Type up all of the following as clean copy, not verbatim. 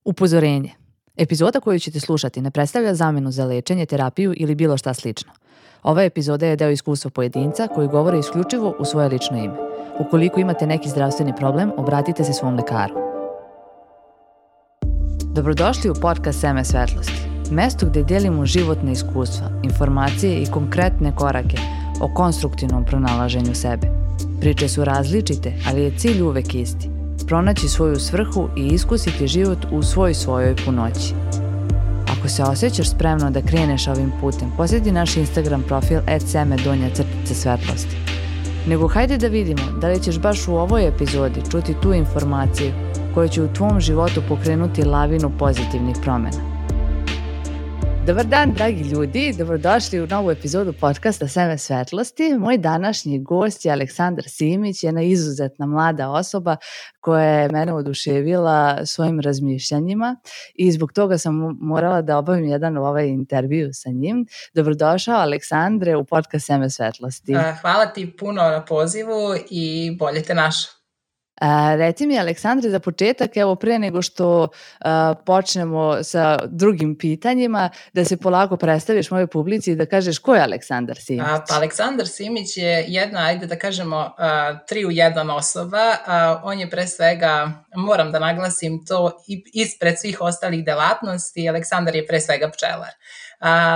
Upozorenje. Epizoda koju ćete slušati ne predstavlja zamenu za lečenje, terapiju ili bilo šta slično. Ova epizoda je deo iskustva pojedinca koji govore isključivo u svoje lično ime. Ukoliko imate neki zdravstveni problem, obratite se svom lekaru. Dobrodošli u podcast Seme svetlosti. Mesto gde delimo životne iskustva, informacije i konkretne korake o konstruktivnom pronalaženju sebe. Priče su različite, ali je cilj uvek isti. Pronaći svoju svrhu i iskusiti život u svojoj punoći. Ako se osjećaš spremno da kreneš ovim putem, posjeti naš Instagram profil @seme_svetlosti. Nego hajde da vidimo da li ćeš baš u ovoj epizodi čuti tu informaciju koja će u tvom životu pokrenuti lavinu pozitivnih promjena. Dobar dan, dragi ljudi, dobrodošli u novu epizodu podcasta Seme svetlosti. Moj današnji gost je Aleksandar Simić, jedna izuzetna mlada osoba koja je mene oduševila svojim razmišljanjima i zbog toga sam morala da obavim jedan intervju sa njim. Dobrodošao, Aleksandre, u podcast Seme svetlosti. Hvala ti puno na pozivu i bolje te našao. Reci mi, Aleksandre, za početak, evo pre nego što počnemo sa drugim pitanjima, da se polako predstaviš mojoj publici i da kažeš ko je Aleksandar Simić. Pa Aleksandar Simić je jedna, ajde da kažemo, 3 u 1 osoba. On je pre svega, moram da naglasim to, ispred svih ostalih delatnosti, Aleksandar je pre svega pčelar.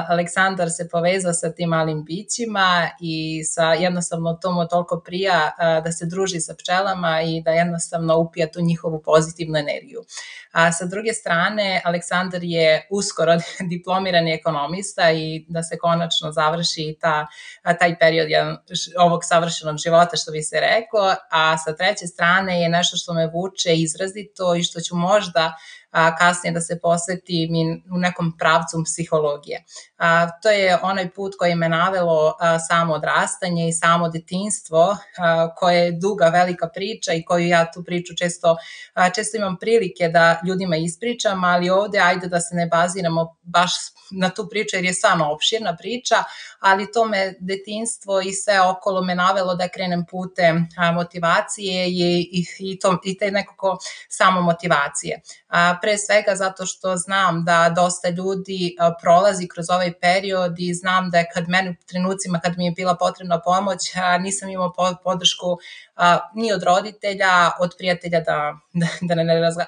Aleksandar se povezao sa tim malim bićima i jednostavno to mu toliko prija da se druži sa pčelama i da jednostavno upija tu njihovu pozitivnu energiju. Sa druge strane, Aleksandar je uskoro diplomirani ekonomista i da se konačno završi taj period ovog savršenog života, što bi se reklo, a sa treće strane je nešto što me vuče izrazito i što ću možda kasnije da se posvetim u nekom pravcu psihologije. To je onaj put koji me navelo samo odrastanje i samo detinjstvo, koje je duga, velika priča i koju ja tu priču često imam prilike da ljudima ispričam, ali ovde ajde da se ne baziramo baš na tu priču jer je stvarno opširna priča, ali to me detinjstvo i sve okolo me navelo da krenem putem motivacije i te nekako samo motivacije. Pre svega zato što znam da dosta ljudi prolazi kroz ovaj period i znam da je u trenucima kad mi je bila potrebna pomoć, nisam imao podršku ni od roditelja, od prijatelja da ne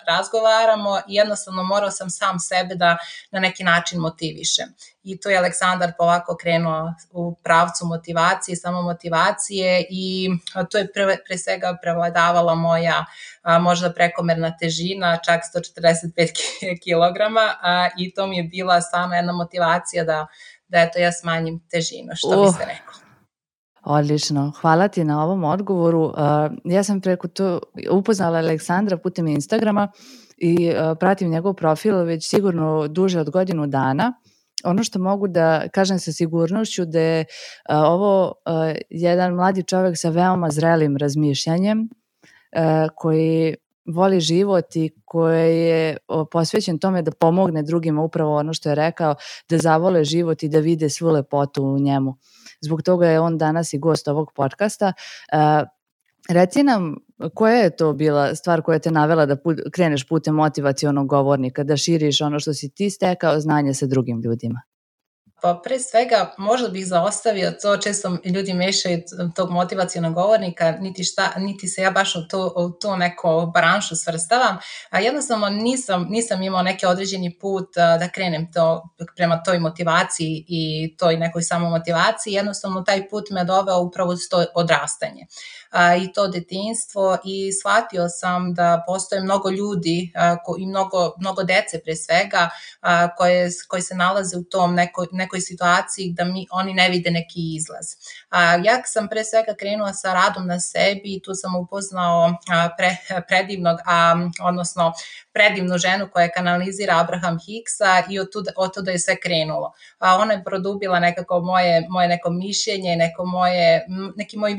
razgovaramo i jednostavno morao sam sam sebe da na neki način motivišem. I tu je Aleksandar polako krenuo u pravcu motivacije, samomotivacije i to je pre svega prevladavala moja možda prekomerna težina, čak 145 kilograma i to mi je bila stvarno jedna motivacija da eto ja smanjim težinu, što bi se reklo. Odlično, hvala ti na ovom odgovoru. Ja sam preko to upoznala Aleksandra putem Instagrama i pratim njegov profil već sigurno duže od godinu dana. Ono što mogu da kažem sa sigurnošću da je ovo jedan mladi čovjek sa veoma zrelim razmišljanjem koji voli život i koji je posvećen tome da pomogne drugima, upravo ono što je rekao, da zavole život i da vide svu lepotu u njemu. Zbog toga je on danas i gost ovog podcasta. Reci nam, koja je to bila stvar koja te navela da kreneš putem motivacionog govornika, da širiš ono što si ti stekao znanje sa drugim ljudima? Pa pre svega možda bih zaostavio to, često ljudi mešaju tog motivacionog govornika, niti se ja baš u to neko branšu svrstavam, a jednostavno nisam imao neki određeni put da krenem prema toj motivaciji i toj nekoj samomotivaciji, jednostavno taj put me doveo upravo uz to odrastanje i to detinjstvo i shvatio sam da postoje mnogo ljudi i mnogo dece pre svega koje se nalaze u tom nekoj situaciji da oni ne vide neki izlaz. Ja sam pre svega krenula sa radom na sebi i tu sam upoznao predivnu ženu koja kanalizira Abraham Hicksa i od tuda je sve krenulo. Ona je produbila nekako moje neko mišljenje, neki moj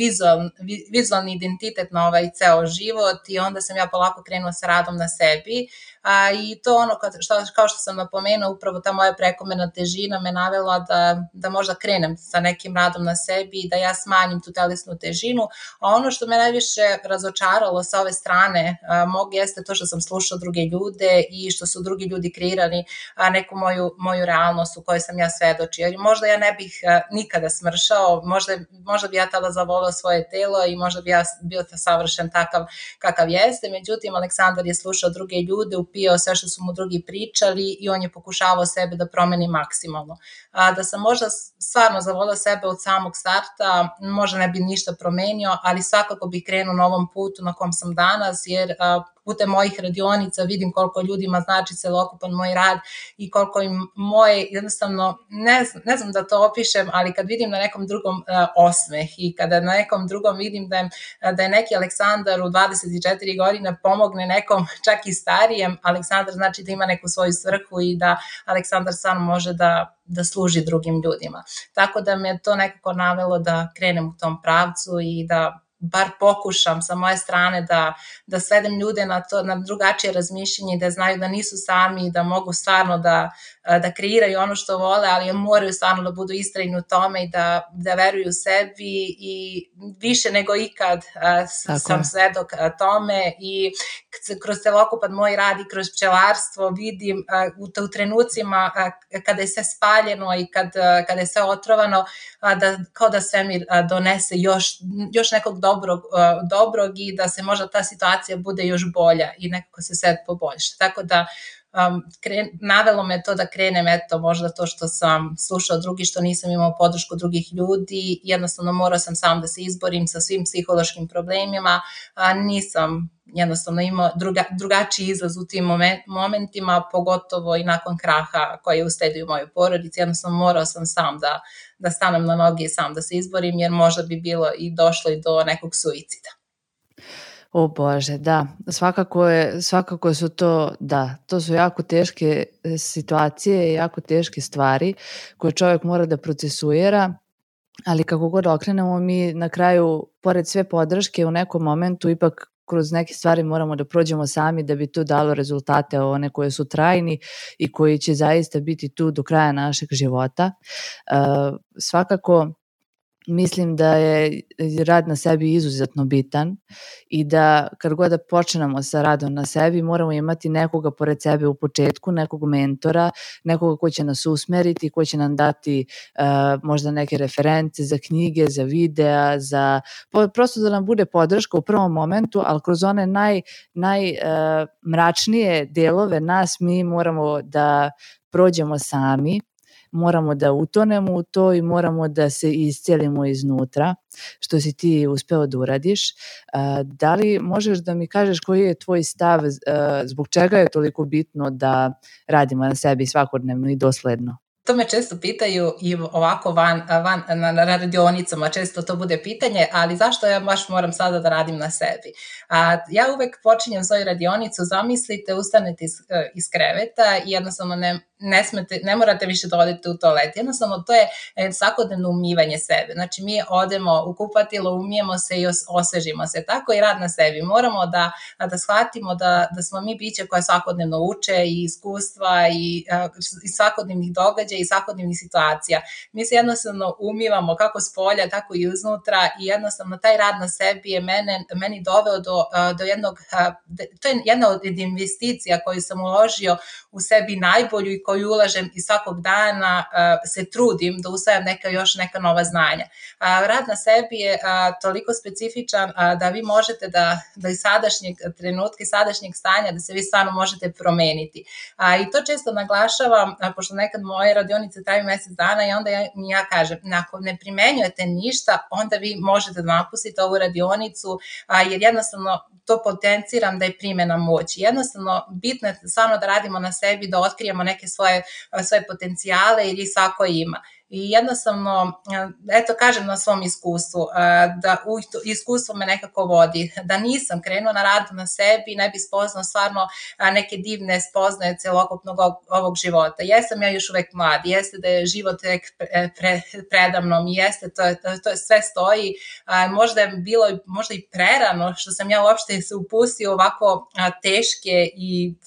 vizualni identitet na ovaj ceo život i onda sam ja polako krenula sa radom na sebi I to ono, kao što sam napomenuo, upravo ta moja prekomerna težina me navela da možda krenem sa nekim radom na sebi i da ja smanjim tu telesnu težinu. A ono što me najviše razočaralo sa ove strane mog jeste to što sam slušao druge ljude i što su drugi ljudi kreirali neku moju realnost u kojoj sam ja svedočio. Jer možda ja ne bih nikada smršao, možda bi ja tada zavolao svoje telo i možda bi ja bio savršen takav kakav jeste. Međutim, Aleksandar je slušao druge ljude, upijao sve što su mu drugi pričali i on je pokušavao sebe da promeni maksimalno. Da sam možda stvarno zavolao sebe od samog starta, možda ne bi ništa promenio, ali svakako bih krenuo na ovom putu na kom sam danas, jer putem mojih radionica vidim koliko ljudima znači celokupan moj rad i koliko im moje, jednostavno, ne znam da to opišem, ali kad vidim na nekom drugom osmeh i kada na nekom drugom vidim da je neki Aleksandar u 24 godine pomogne nekom čak i starijem, Aleksandar znači da ima neku svoju svrhu i da Aleksandar sam može da služi drugim ljudima. Tako da me to nekako navelo da krenem u tom pravcu i da bar pokušam sa moje strane da svedem ljude na drugačije razmišljenje, da znaju da nisu sami, da mogu stvarno da kreiraju ono što vole, ali moraju stvarno da budu istrajni u tome i da veruju sebi i više nego ikad sam svedok tome i kroz celokupan moj rad i kroz pčelarstvo vidim u trenucima kada je sve spaljeno i kada je sve otrovano, kao da svemir donese još nekog dobrog i da se možda ta situacija bude još bolja i nekako se sve poboljša. Tako da navelo me to da krenem, eto, možda to što sam slušao drugi, što nisam imao podršku drugih ljudi, jednostavno morao sam sam da se izborim sa svim psihološkim problemima, nisam jednostavno imao drugačiji izlaz u tim momentima, pogotovo i nakon kraha koji je usledio u mojoj porodici, jednostavno morao sam sam da stanem na noge i sam da se izborim, jer možda bi bilo i došlo i do nekog suicida. O Bože, da, svakako su to su jako teške situacije, jako teške stvari koje čovjek mora da procesuira, ali kako god okrenemo mi na kraju, pored sve podrške u nekom momentu, ipak kroz neke stvari moramo da prođemo sami da bi to dalo rezultate, one koje su trajni i koji će zaista biti tu do kraja našeg života. Svakako mislim da je rad na sebi izuzetno bitan i da kad god da počnemo sa radom na sebi moramo imati nekoga pored sebe u početku, nekog mentora, nekoga ko će nas usmeriti, ko će nam dati možda neke reference za knjige, za videa, prosto da nam bude podrška u prvom momentu, ali kroz one najmračnije delove nas mi moramo da prođemo sami. Moramo da utonemo u to i moramo da se iscelimo iznutra, što si ti uspeo da uradiš. Da li možeš da mi kažeš koji je tvoj stav, zbog čega je toliko bitno da radimo na sebi svakodnevno i dosledno? To me često pitaju i ovako na radionicama, često to bude pitanje, ali zašto ja baš moram sada da radim na sebi? Ja uvek počinjem svoju radionicu, zamislite, ustanete iz kreveta i jednostavno ne morate više da odete u toalet. Jednostavno to je svakodnevno umivanje sebe. Znači mi odemo u kupatilo, umijemo se i osvežimo se. Tako i rad na sebi. Moramo da shvatimo da smo mi biće koje svakodnevno uče i iskustva i svakodnevnih događaja i svakodnevnih situacija. Mi se jednostavno umivamo kako s polja, tako i iznutra i jednostavno taj rad na sebi je meni doveo do jednog, to je jedna od investicija koju sam uložio u sebi najbolju i koju ulažem i svakog dana se trudim da usvajam još neka nova znanja. Rad na sebi je toliko specifičan da vi možete da iz sadašnjeg trenutka i sadašnjeg stanja da se vi stvarno možete promeniti. I to često naglašavam, pošto nekad moje radionice traju mjesec dana i onda ja kažem, ako ne primenjujete ništa, onda vi možete da napustite ovu radionicu, jer jednostavno to potenciram da je primjena moći. Jednostavno, bitno je stvarno da radimo na sebi, da otkrijemo neke svoje potencijale jer ih svako ima. I jednostavno, eto kažem na svom iskustvu, da iskustvo me nekako vodi, da nisam krenuo na rad na sebi, ne bi spoznao stvarno neke divne spoznaje celokupnog ovog života. Jesam ja još uvek mlad, jeste da je život predamnom i jeste, to sve stoji, možda je bilo možda i prerano što sam ja uopšte se upustio ovako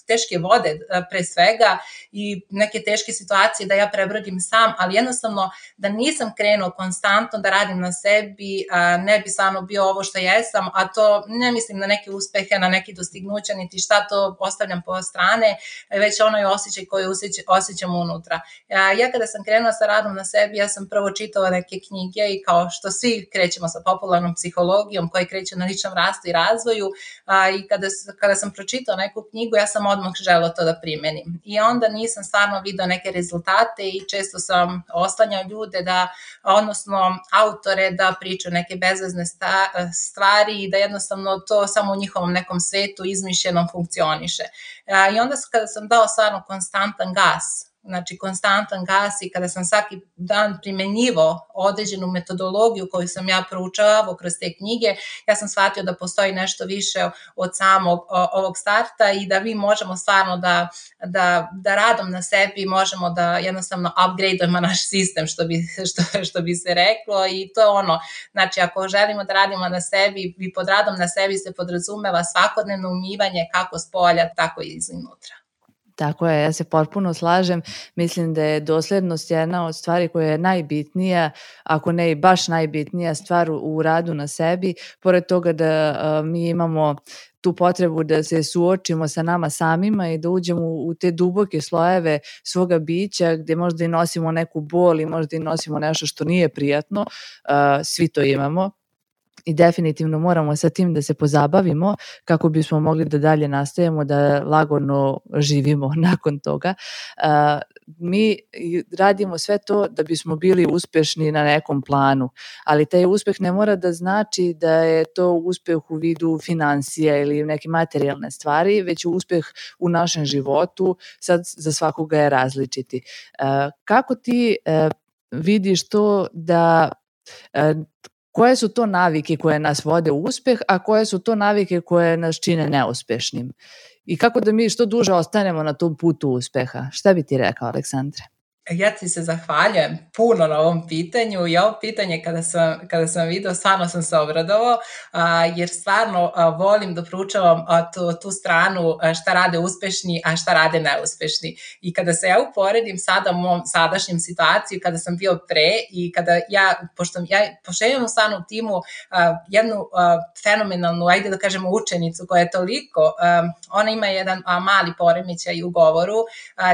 teške vode pre svega i neke teške situacije da ja prebrodim sam, ali jednostavno da nisam krenuo konstantno da radim na sebi, ne bi stvarno bio ovo što jesam, a to ne mislim na neke uspehe, na neke dostignuća, niti šta, to ostavljam po strane, već onaj osjećaj koji osjećam unutra. Ja kada sam krenula sa radom na sebi, ja sam prvo čitala neke knjige i kao što svi krećemo sa popularnom psihologijom koji kreće na ličnom rastu i razvoju, i kada sam pročitala neku knjigu, ja sam odmah želela to da primenim. I onda nisam stvarno video neke rezultate i često sam oslanjao ljude odnosno autore da pričaju neke bezvezne stvari i da jednostavno to samo u njihovom nekom svetu izmišljenom funkcioniše. I onda kada sam dao stvarno konstantan gas i kada sam svaki dan primenjivao određenu metodologiju koju sam ja proučavao kroz te knjige, ja sam shvatio da postoji nešto više od samog ovog starta i da mi možemo stvarno da radom na sebi možemo da jednostavno upgradeujemo naš sistem, što bi se reklo, i to je ono, znači ako želimo da radimo na sebi i pod radom na sebi se podrazumeva svakodnevno umivanje kako s polja, tako i iznutra. Tako je, ja se potpuno slažem. Mislim da je doslednost jedna od stvari koja je najbitnija, ako ne i baš najbitnija stvar u radu na sebi. Pored toga da mi imamo tu potrebu da se suočimo sa nama samima i da uđemo u te duboke slojeve svoga bića gdje možda i nosimo neku bol i možda i nosimo nešto što nije prijatno. Svi to imamo. I definitivno moramo sa tim da se pozabavimo kako bismo mogli da dalje nastavimo da lagano živimo nakon toga. Mi radimo sve to da bismo bili uspešni na nekom planu, ali taj uspeh ne mora da znači da je to uspeh u vidu financija ili neke materijalne stvari, već uspeh u našem životu, sad za svakoga je različiti. Kako ti vidiš to da koje su to navike koje nas vode u uspeh, a koje su to navike koje nas čine neuspešnim? I kako da mi što duže ostanemo na tom putu uspeha? Šta bi ti rekao, Aleksandre? Ja ti se zahvaljujem puno na ovom pitanju i ovo pitanje kada sam vidio, stvarno sam se obradovao, jer stvarno volim da proučavam tu stranu šta rade uspešni, a šta rade neuspešni. I kada se ja uporedim sada u mom sadašnjem situaciju, kada sam bio pre i kada pošto imam stvarno u timu jednu fenomenalnu, ajde da kažemo učenicu koja je toliko, ona ima jedan mali poremećaj u govoru,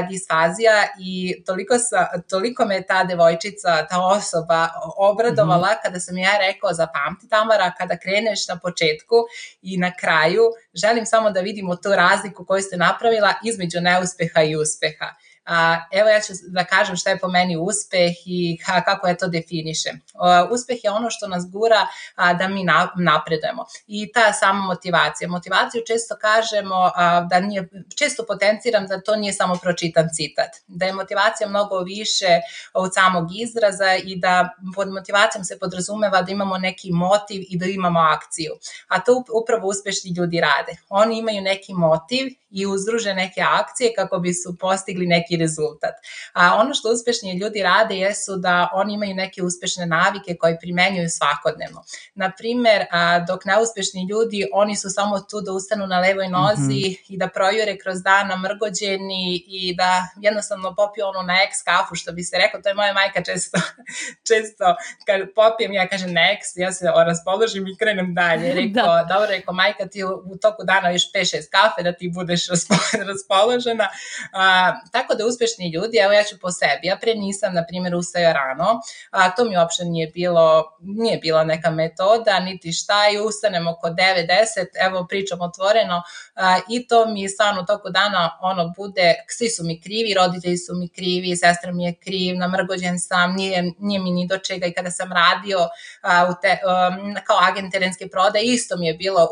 disfazija, i toliko me ta devojčica, ta osoba obradovala kada sam ja rekao, zapamti Tamara, kada kreneš na početku i na kraju, želim samo da vidimo tu razliku koju ste napravila između neuspeha i uspeha. Evo ja ću da kažem šta je po meni uspeh i kako ja to definišem. Uspeh je ono što nas gura da mi napredujemo i ta sama motivacija. Motivaciju često kažemo često potenciram da to nije samo pročitan citat, da je motivacija mnogo više od samog izraza i da pod motivacijom se podrazumeva da imamo neki motiv i da imamo akciju. A to upravo uspešni ljudi rade. Oni imaju neki motiv i uzdruže neke akcije kako bi su postigli neki rezultat. Ono što uspešni ljudi rade jesu da oni imaju neke uspešne navike koje primenjuju svakodnevno. Naprimer, dok neuspešni ljudi, oni su samo tu da ustanu na levoj nozi i da projure kroz dan namrgođeni i da jednostavno popiju onu na ex kafu, što bi se rekao, to je moja majka često kad popijem, ja kažem na ex, ja se raspoložim i krenem dalje. Dobro, majka, ti u toku dana još 5-6 kafe da ti budeš raspoložena. Tako da uspešni ljudi, evo ja ću po sebi, ja pre nisam, na primjer, ustaja rano, to mi uopšte nije bila neka metoda, niti šta, i ustanem oko 9-10, evo pričam otvoreno, i to mi stvarno toku dana bude, svi su mi krivi, roditelji su mi krivi, sestra mi je kriv, namrgođen sam, nije mi ni do čega, i kada sam radio kao agent terenske prodaje, isto mi je bilo,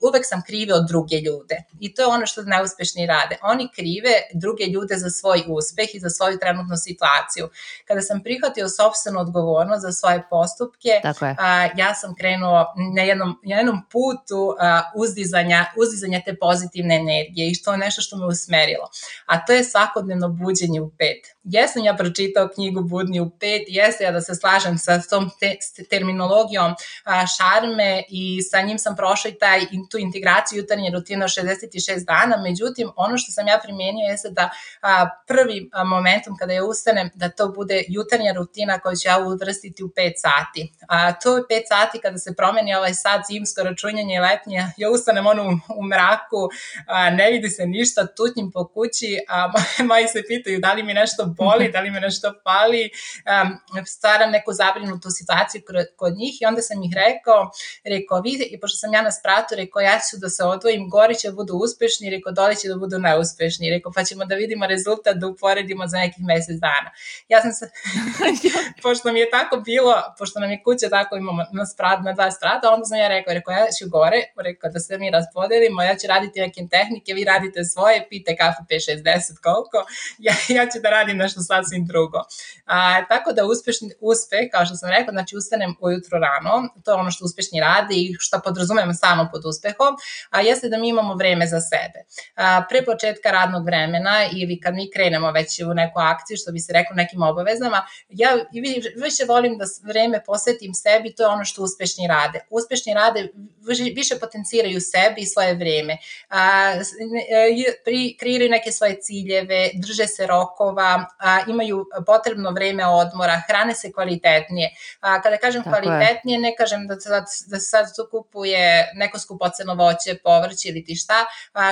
uvek sam krive od druge ljude, i to je ono što neuspešni rade, oni krive druge ljude brige za svoj uspeh i za svoju trenutnu situaciju. Kada sam prihvatio sopstvenu odgovornost za svoje postupke, ja sam krenuo na jednom putu uzdizanja te pozitivne energije i što je nešto što me usmerilo. A to je svakodnevno buđenje u 5. Jesam ja pročitao knjigu Budni u 5, jeste ja da se slažem sa tom terminologijom šarme i sa njim sam prošla i tu integraciju jutarnje rutine od 66 dana, međutim ono što sam ja primijenio jeste da prvi momentum kada ja ustanem da to bude jutarnja rutina koju ću ja uvrstiti u 5 sati. To je 5 sati kada se promeni ovaj sad zimsko računjanje i letnje, ja ustanem u mraku, ne vidi se ništa, tutnjim po kući, moji se pitaju da li mi nešto boli, da li mi nešto pali, stvaram neku zabrinutu situaciju kod njih i onda sam ih rekao vi, i pošto sam ja na spratu, rekao ja ću da se odvojim, gori će da budu uspešni, rekao dole će da budu neuspešni, rekao pa ćemo da vidimo rezultat, da uporedimo za nekih mesec dana. Ja sam se, pošto mi je tako bilo, pošto nam je kuća tako imamo na 2 sprata, onda sam ja rekao ja ću gore, rekao da se mi raspodelimo, ja ću raditi neke tehnike, vi radite svoje, pijte kafu 5, 6, 10 koliko, ja ću da radim nešto sasvim drugo. Tako da uspeh, kao što sam rekao, znači ustanem ujutro rano, to je ono što uspešni rade i što podrazumemo samo pod uspehom, jeste da mi imamo vreme za sebe. Pre početka radnog vremena ili kad mi krenemo već u neku akciju, što bi se reklo nekim obavezama, ja više volim da vreme posvetim sebi, to je ono što uspešni rade. Uspešni rade više potenciraju sebi i svoje vreme. Kreiraju neke svoje ciljeve, drže se rokova, imaju potrebno vreme odmora, hrane se kvalitetnije. Kada kažem kvalitetnije, ne kažem da se sad tu kupuje neko skupoceno voće, povrće ili ti šta,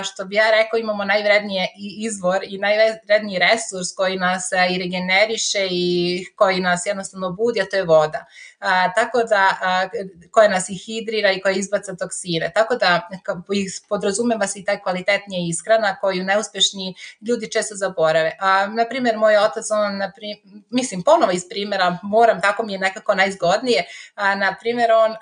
što bi ja rekao imamo najvrednije izvor i najvredniji resurs koji nas i regeneriše i koji nas jednostavno budi, a to je voda. Tako da, koja nas i hidrira i koja izbaca toksine. Tako da podrazumeva se i taj kvalitetnija ishrana koju neuspešni ljudi često zaborave. Naprimjer, moj otac, ponovo iz primjera, tako mi je nekako najzgodnije, naprimjer, on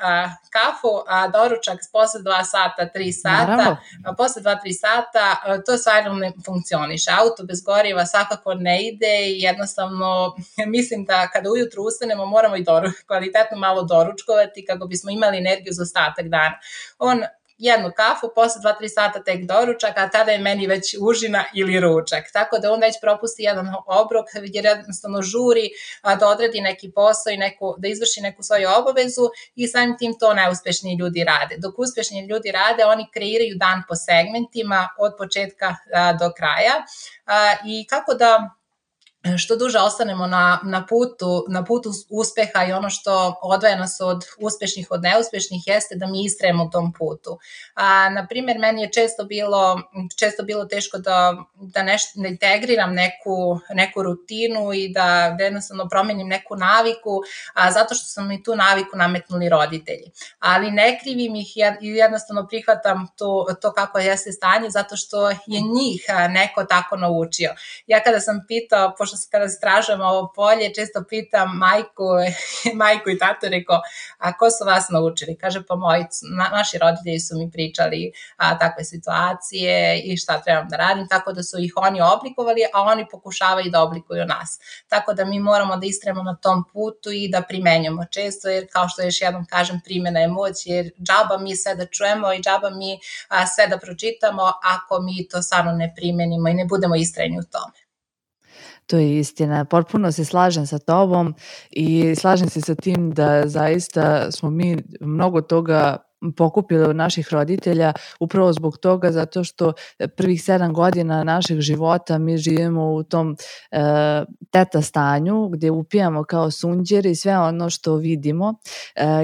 kafu, doručak posle 2 sata, 3 sata, posle 2-3 sata, to stvarno ne funkcioniše. Auto bez goriva svakako ne ide i jednostavno mislim da kada ujutru ustanemo moramo i kvalitetno malo doručkovati kako bismo imali energiju za ostatak dana. Jednu kafu, posle 2-3 sata tek doručak, a tada je meni već užina ili ručak. Tako da on već propusti jedan obrok jer jednostavno žuri da odradi neki posao i da izvrši neku svoju obavezu i samim tim to neuspešni ljudi rade. Dok uspešni ljudi rade, oni kreiraju dan po segmentima od početka do kraja i kako da što duže ostanemo na putu uspeha i ono što odvaja nas od uspešnih od neuspešnih jeste da mi istrajemo u tom putu. Naprimjer, meni je često bilo teško da integriram neku rutinu i da jednostavno promenim neku naviku, zato što su mi tu naviku nametnuli roditelji. Ali ne krivim ih i jednostavno prihvatam to kako jeste stanje, zato što je njih neko tako naučio. Ja kada sam pitao, kada stražujem ovo polje, često pitam majku i tatu, rekao, a ko su vas naučili? Kaže, pa naši roditelji su mi pričali takve situacije i šta trebam da radim, tako da su ih oni oblikovali, a oni pokušavaju da oblikuju nas. Tako da mi moramo da istrajemo na tom putu i da primenjamo često, jer kao što još jednom kažem, primjena je moć, jer džaba mi sve da čujemo i džaba mi sve da pročitamo ako mi to stvarno ne primenimo i ne budemo istrajni u tome. To je istina. Potpuno se slažem sa tobom i slažem se sa tim da zaista smo mi mnogo toga pokupili od naših roditelja upravo zbog toga zato što prvih 7 godina našeg života mi živimo u tom teta stanju gdje upijamo kao sunđeri sve ono što vidimo.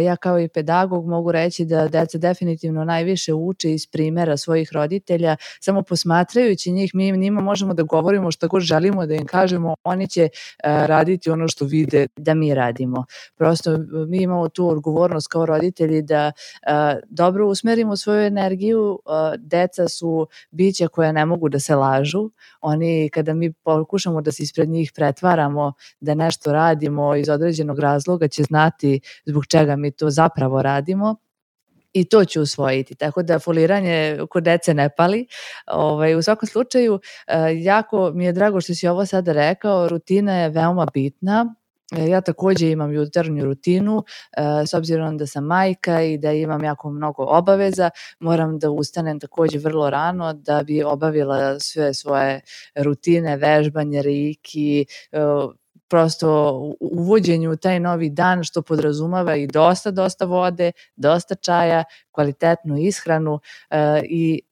Ja kao i pedagog mogu reći da deca definitivno najviše uče iz primjera svojih roditelja, samo posmatrajući njih mi njima možemo da govorimo što god želimo da im kažemo, oni će raditi ono što vide da mi radimo. Prosto mi imamo tu odgovornost kao roditelji da dobro usmerimo svoju energiju. Deca su bića koja ne mogu da se lažu. Oni, kada mi pokušamo da se ispred njih pretvaramo da nešto radimo iz određenog razloga, će znati zbog čega mi to zapravo radimo. I to ću usvojiti, tako da foliranje kod dece ne pali. U svakom slučaju, jako mi je drago što si ovo sada rekao, rutina je veoma bitna. Ja takođe imam jutarnju rutinu, s obzirom da sam majka i da imam jako mnogo obaveza, moram da ustanem takođe vrlo rano da bi obavila sve svoje rutine, vežbanje, reiki, prosto uvođenju u taj novi dan, što podrazumeva i dosta vode, dosta čaja, kvalitetnu ishranu i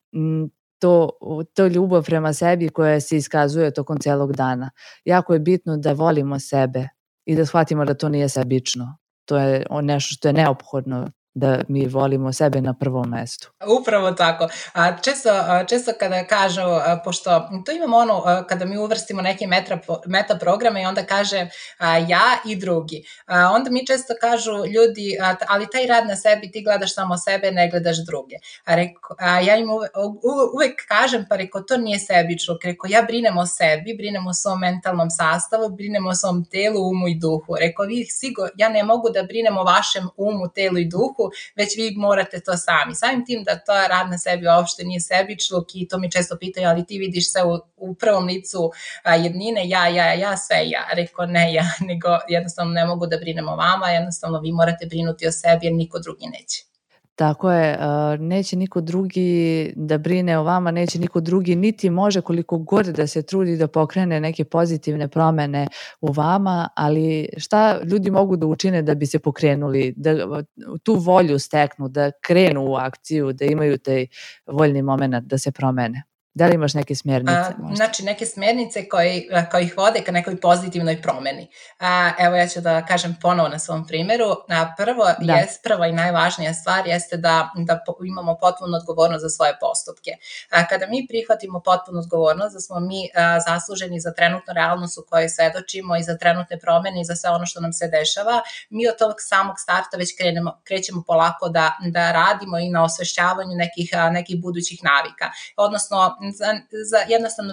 to ljubav prema sebi koja se iskazuje tokom celog dana. Jako je bitno da volimo sebe i da shvatimo da to nije sebično. To je nešto što je neophodno, da mi volimo sebe na prvom mestu. Upravo tako. Često kada kažu, pošto to imamo kada mi uvrstimo neke meta programe i onda kaže ja i drugi. Onda mi često kažu ljudi, ali taj rad na sebi, ti gledaš samo sebe, ne gledaš druge. Ja im uvek kažem, pa reko, to nije sebično. Reko, ja brinem o sebi, brinem o svom mentalnom sastavu, brinem o svom telu, umu i duhu. Reko, ja ne mogu da brinem o vašem umu, telu i duhu, već vi morate to sami. Samim tim da to rad na sebi uopšte nije sebičluk i to mi često pitaju, ali ti vidiš sve u prvom licu jednine, ja, sve ja. Rekao, ne ja, nego jednostavno ne mogu da brinem o vama, jednostavno vi morate brinuti o sebi jer niko drugi neće. Tako je, neće niko drugi da brine o vama, neće niko drugi niti može koliko god da se trudi da pokrene neke pozitivne promene u vama, ali šta ljudi mogu da učine da bi se pokrenuli, da tu volju steknu, da krenu u akciju, da imaju taj voljni moment da se promene? Da li imaš neke smjernice? Znači, neke smjernice koje ih vode ka nekoj pozitivnoj promeni. Evo, ja ću da kažem ponovo na svom primjeru. Prva i najvažnija stvar jeste da imamo potpunu odgovornost za svoje postupke. Kada mi prihvatimo potpunu odgovornost da smo mi zasluženi za trenutnu realnost u kojoj svedočimo i za trenutne promene i za sve ono što nam se dešava, mi od tog samog starta već krećemo polako da radimo i na osvešćavanju nekih budućih navika. Odnosno, jednostavno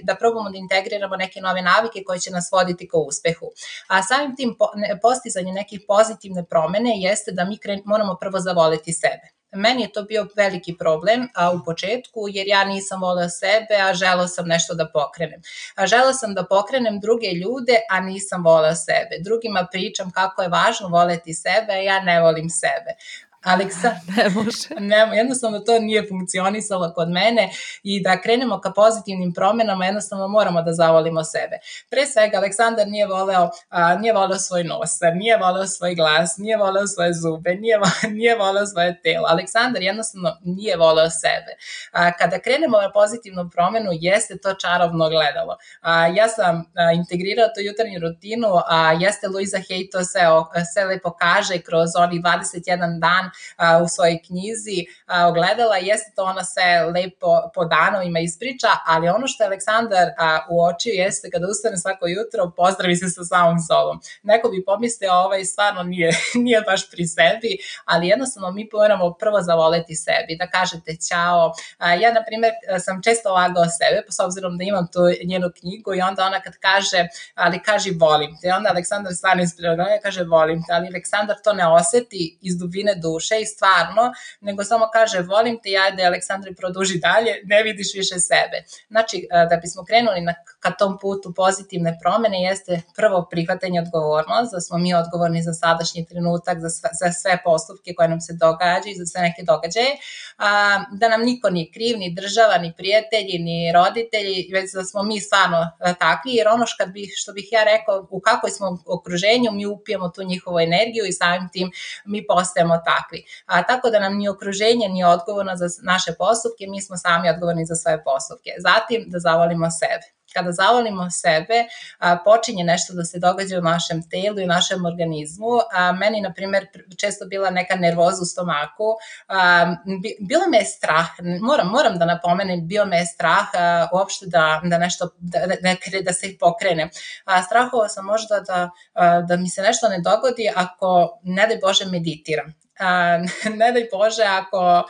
da probamo da integriramo neke nove navike koje će nas voditi ka uspehu. A samim tim postizanje nekih pozitivne promene jeste da mi moramo prvo zavoleti sebe. Meni je to bio veliki problem u početku, jer ja nisam voleo sebe, a želeo sam nešto da pokrenem. Želeo sam da pokrenem druge ljude, a nisam voleo sebe. Drugima pričam kako je važno voleti sebe, a ja ne volim sebe. Jednostavno to nije funkcionisalo kod mene i da krenemo ka pozitivnim promenama jednostavno moramo da zavolimo sebe. Pre svega Aleksandar nije voleo svoj nos, nije voleo svoj glas, nije voleo svoje zube, nije voleo svoje telo. Aleksandar jednostavno nije voleo sebe. Kada krenemo na pozitivnu promenu jeste to čarobno gledalo. Ja sam integrirao tu jutarnju rutinu, jeste Louisa Hay to sve lepo kaže kroz onih 21 dan u svojoj knjizi ogledala, jeste to ona sve lepo po danovima ispriča, ali ono što je Aleksandar uočio jeste kada ustane svako jutro, pozdravi se sa samom sobom. Neko bi pomislio, stvarno nije baš pri sebi, ali jednostavno mi moramo prvo zavoleti sebi, da kažete ćao. Ja, na primjer, sam često lagao sebe, s obzirom da imam tu njenu knjigu i onda ona kad kaže, ali kaži volim te, onda Aleksandar stvarno ispriča, kaže volim te, ali Aleksandar to ne oseti iz dubine duše i stvarno, nego samo kaže volim te, ajde Aleksandre produži dalje, ne vidiš više sebe. Znači, da bismo krenuli ka tom putu pozitivne promene jeste prvo prihvatanje odgovornost, da smo mi odgovorni za sadašnji trenutak, za sve postupke koje nam se događaju, za sve neke događaje, da nam niko nije kriv, ni država, ni prijatelji, ni roditelji, već da smo mi stvarno takvi, jer ono što bih ja rekao, u kakvoj smo okruženju, mi upijemo tu njihovu energiju i samim tim mi postajemo takvi. Tako da nam ni okruženje nije odgovorno za naše postupke, mi smo sami odgovorni za svoje postupke. Zatim da zavolimo sebe. Kada zavolimo sebe, počinje nešto da se događa u našem telu i u našem organizmu. Meni, na primjer, često bila neka nervoza u stomaku. Bilo me je strah, moram da napomenem, bio me je strah uopšte da nešto, da se pokrenem. Strahovao sam možda da mi se nešto ne dogodi ako, ne daj Bože, meditiram. ne daj Bože ako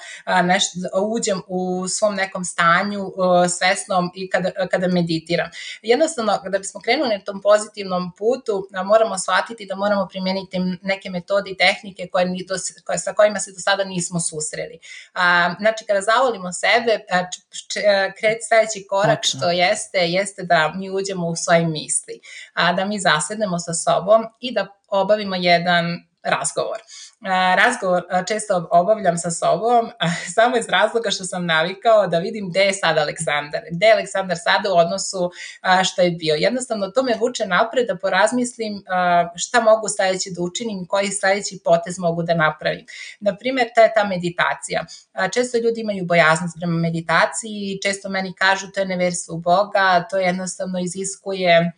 uđem u svom nekom stanju svesnom i kada meditiram. Jednostavno, kada bismo krenuli na tom pozitivnom putu, moramo shvatiti da moramo primijeniti neke metode i tehnike sa kojima se do sada nismo susreli. Znači, kada zavolimo sebe, sledeći korak što jeste da mi uđemo u svoje misli, da mi zasednemo sa sobom i da obavimo jedan razgovor. Razgovor često obavljam sa sobom samo iz razloga što sam navikao da vidim gde je sad Aleksandar. Gde je Aleksandar sada u odnosu što je bio. Jednostavno to me vuče napred da porazmislim šta mogu sledeće da učinim i koji sledeći potez mogu da napravim. Naprimjer, ta meditacija. Često ljudi imaju bojaznost prema meditaciji, često meni kažu to je neverstvo u Boga, to jednostavno iziskuje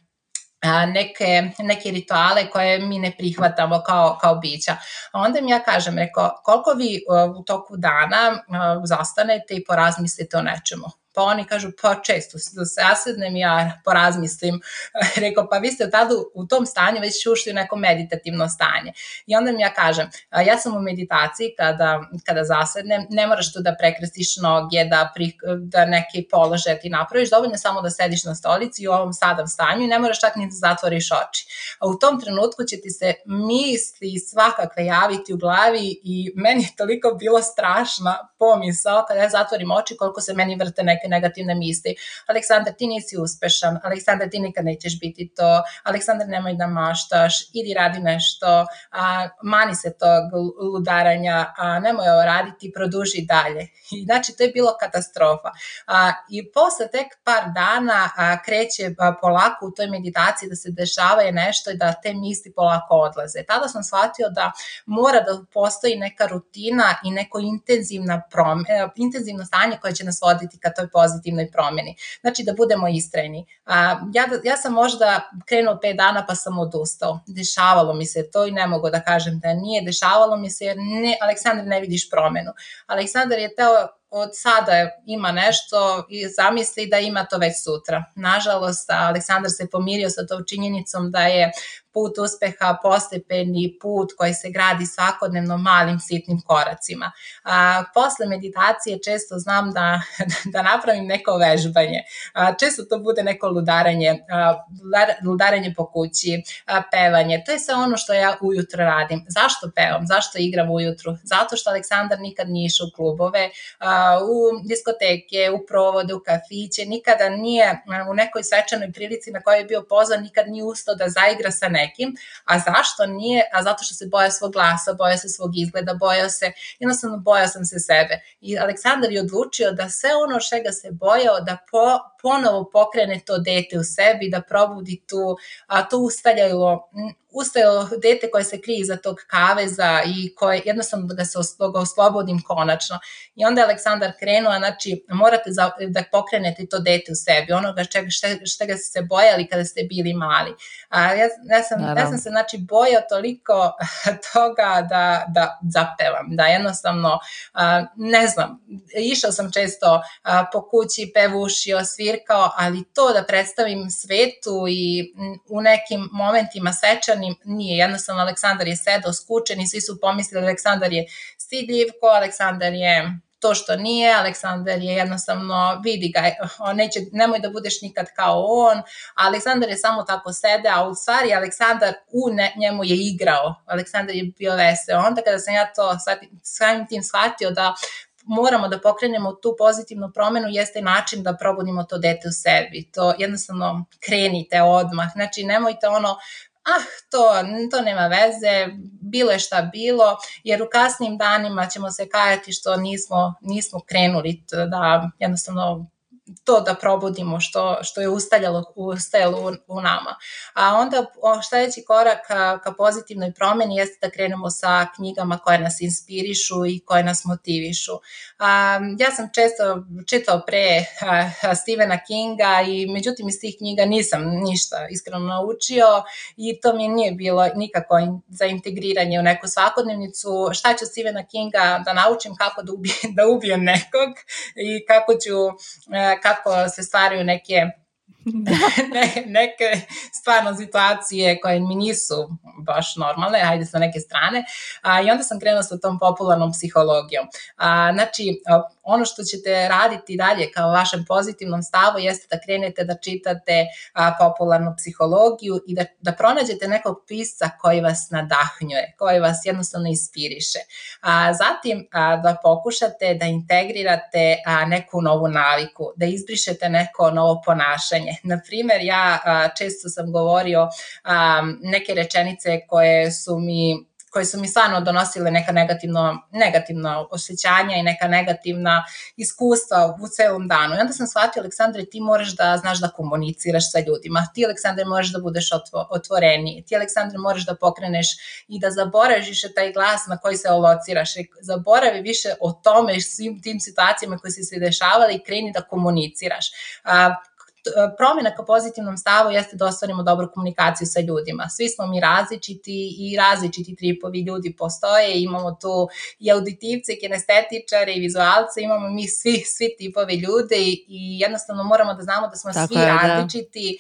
neke rituale koje mi ne prihvatamo kao bića. A onda mi ja kažem, koliko vi u toku dana zastanete i porazmislite o nečemu? Pa oni kažu, pa često zasednem ja porazmislim. Rekao, pa vi ste tada u tom stanju već ušli u neko meditativno stanje. I onda mi ja kažem, ja sam u meditaciji kada zasednem, ne moraš tu da prekrstiš noge, da neki položaj ti napraviš, dovoljno samo da sediš na stolici u ovom sadam stanju i ne moraš čak ni da zatvoriš oči. A u tom trenutku će ti se misli svakakve javiti u glavi i meni je toliko bilo strašna pomisao kada ja zatvorim oči koliko se meni vrte neke negativne misli. Aleksandar, ti nisi uspešan. Aleksandar, ti nikad nećeš biti to. Aleksandar, nemoj da maštaš. Idi radi nešto. Mani se tog ludaranja. Nemoj ovo raditi. Produži dalje. I znači, to je bilo katastrofa. I posle tek par dana kreće polako u toj meditaciji da se dešava je nešto i da te misli polako odlaze. Tada sam shvatio da mora da postoji neka rutina i neko intenzivno stanje koje će nas voditi ka toj pozitivnoj promjeni. Znači da budemo istrajni. Ja sam možda krenuo 5 dana pa sam odustao. Dešavalo mi se to i ne mogu da kažem da nije. Dešavalo mi se jer Aleksandar ne vidiš promenu. Aleksandar je teo od sada ima nešto i zamisli da ima to već sutra. Nažalost, Aleksandar se pomirio sa tom činjenicom da je put uspeha postepeni put koji se gradi svakodnevno malim sitnim koracima. Posle meditacije često znam da napravim neko vežbanje. Često to bude neko ludaranje po kući, pevanje. To je sve ono što ja ujutro radim. Zašto pevam? Zašto igram ujutru? Zato što Aleksandar nikad nije išao u klubove, u diskoteke, u provode, u kafiće, nikada nije u nekoj svečanoj prilici na kojoj je bio pozvan, nikad nije ustao da zaigra sa nekim. A zašto nije? A zato što se bojao svog glasa, bojao se svog izgleda, jednostavno bojao sam se sebe. I Aleksandar je odlučio da sve ono čega se bojao, da ponovo pokrene to dete u sebi, da probudi to ustaljalo dete koje se krije iza tog kaveza i koje jednostavno da ga oslobodim konačno. I onda je Aleksandar krenuo, znači morate da pokrenete to dete u sebi, onoga čega ste se bojali kada ste bili mali. Ja sam se znači bojao toliko toga da zapevam, da jednostavno, ne znam, išao sam često po kući, pevušio, svirkao, ali to da predstavim svetu i u nekim momentima svečanim nije. Jednostavno Aleksandar je sedao skučen i svi su pomislili Aleksandar je stidljivko, Aleksandar je to što nije, Aleksandar je jednostavno, vidi ga, nemoj da budeš nikad kao on, a Aleksandar je samo tako sedeo, a u stvari Aleksandar njemu je igrao, Aleksandar je bio veseo. Onda kada sam ja to samim tim shvatio da moramo da pokrenemo tu pozitivnu promenu, jeste način da probudimo to dete u sebi. To jednostavno krenite odmah, znači nemojte to nema veze, bilo je šta bilo, jer u kasnim danima ćemo se kajati što nismo krenuli da jednostavno to da probudimo što je ustajalo u nama. A onda sledeći korak ka pozitivnoj promeni jeste da krenemo sa knjigama koje nas inspirišu i koje nas motivišu. Ja sam često čitao pre Stephena Kinga i međutim iz tih knjiga nisam ništa iskreno naučio i to mi nije bilo nikako za integriranje u neku svakodnevnicu. Šta ću Stephena Kinga da naučim, kako da ubijem nekog i kako se stvaraju neke neke stvarno situacije koje mi nisu baš normalne, hajde sa neke strane, i onda sam krenula sa tom popularnom psihologijom. Znači, ono što ćete raditi dalje kao vašem pozitivnom stavu jeste da krenete da čitate popularnu psihologiju i da pronađete nekog pisca koji vas nadahnjuje, koji vas jednostavno inspiriše. Zatim da pokušate da integrirate neku novu naviku, da izbrišete neko novo ponašanje. Naprimer, ja često sam govorio neke rečenice koje su mi stvarno donosile neka negativna osjećanja i neka negativna iskustva u celom danu. I onda sam shvatila, Aleksandre, ti moraš da znaš da komuniciraš sa ljudima, ti, Aleksandre, moraš da budeš otvoreniji, ti, Aleksandre, moraš da pokreneš i da zaboraviš više taj glas na koji se alociraš, zaboravi više o tome, svim tim situacijama koje se dešavale i kreni da komuniciraš. Promjena ka pozitivnom stavu jeste da ostvarimo dobru komunikaciju sa ljudima. Svi smo mi različiti i različiti tripovi ljudi postoje. Imamo tu i auditivce, i kinestetičare, i vizualce, imamo mi svi tipovi ljude i jednostavno moramo da znamo da smo svi različiti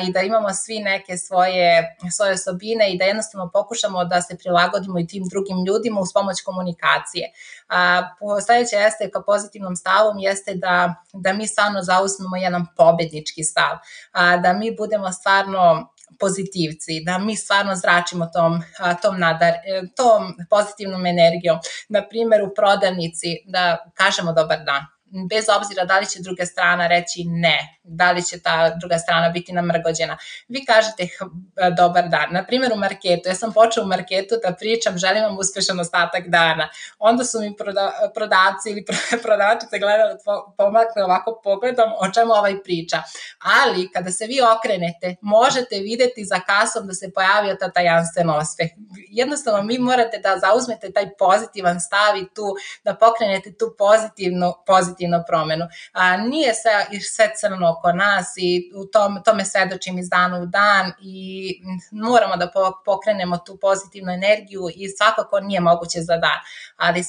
i da imamo svi neke svoje osobine i da jednostavno pokušamo da se prilagodimo i tim drugim ljudima uz pomoć komunikacije. Sledeće jeste ka pozitivnom stavom jeste da mi stvarno zauzmemo jedan pobednički stav, da mi budemo stvarno pozitivci, da mi stvarno zračimo tom pozitivnom energijom. Na primjer, u prodavnici da kažemo dobar dan, bez obzira da li će druga strana reći ne, da li će ta druga strana biti namrgođena. Vi kažete dobar dan. Na primjer, u marketu, ja sam počela u marketu da pričam želim vam uspešan ostatak dana. Onda su mi prodavci ili prodavačice gledali, pomakle ovako pogledom o čemu ovaj priča. Ali kada se vi okrenete, možete videti za kasom da se pojavio ta tajanstven osmeh. Jednostavno, mi morate da zauzmete taj pozitivan stav i tu da pokrenete tu pozitivnu promenu. Nije sve crno oko nas i u tome svedočim iz dana u dan i moramo da pokrenemo tu pozitivnu energiju i svakako nije moguće za dan, ali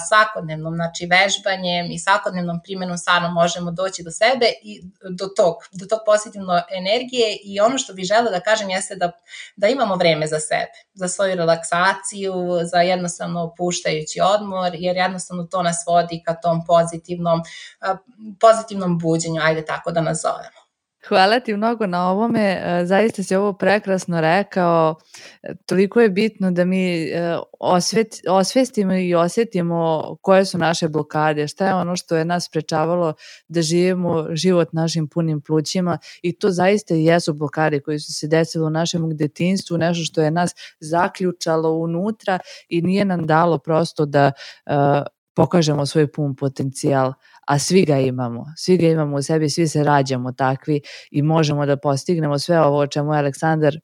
svakodnevnom znači vežbanjem i svakodnevnom primjenom stvarno možemo doći do sebe i do tog pozitivne energije. I ono što bih želela da kažem jeste da imamo vreme za sebe, za svoju relaksaciju, za jednostavno opuštajući odmor, jer jednostavno to nas vodi ka tom pozitivnom buđenju, ajde tako da nazovemo. Hvala ti mnogo na ovome, zaista si ovo prekrasno rekao, toliko je bitno da mi osvestimo i osjetimo koje su naše blokade, šta je ono što je nas sprečavalo da živimo život našim punim plućima i to zaista i jesu blokade koje su se desile u našem detinjstvu, nešto što je nas zaključalo unutra i nije nam dalo prosto da pokažemo svoj pun potencijal, a svi ga imamo u sebi, svi se rađamo takvi i možemo da postignemo sve ovo o čemu je Aleksandar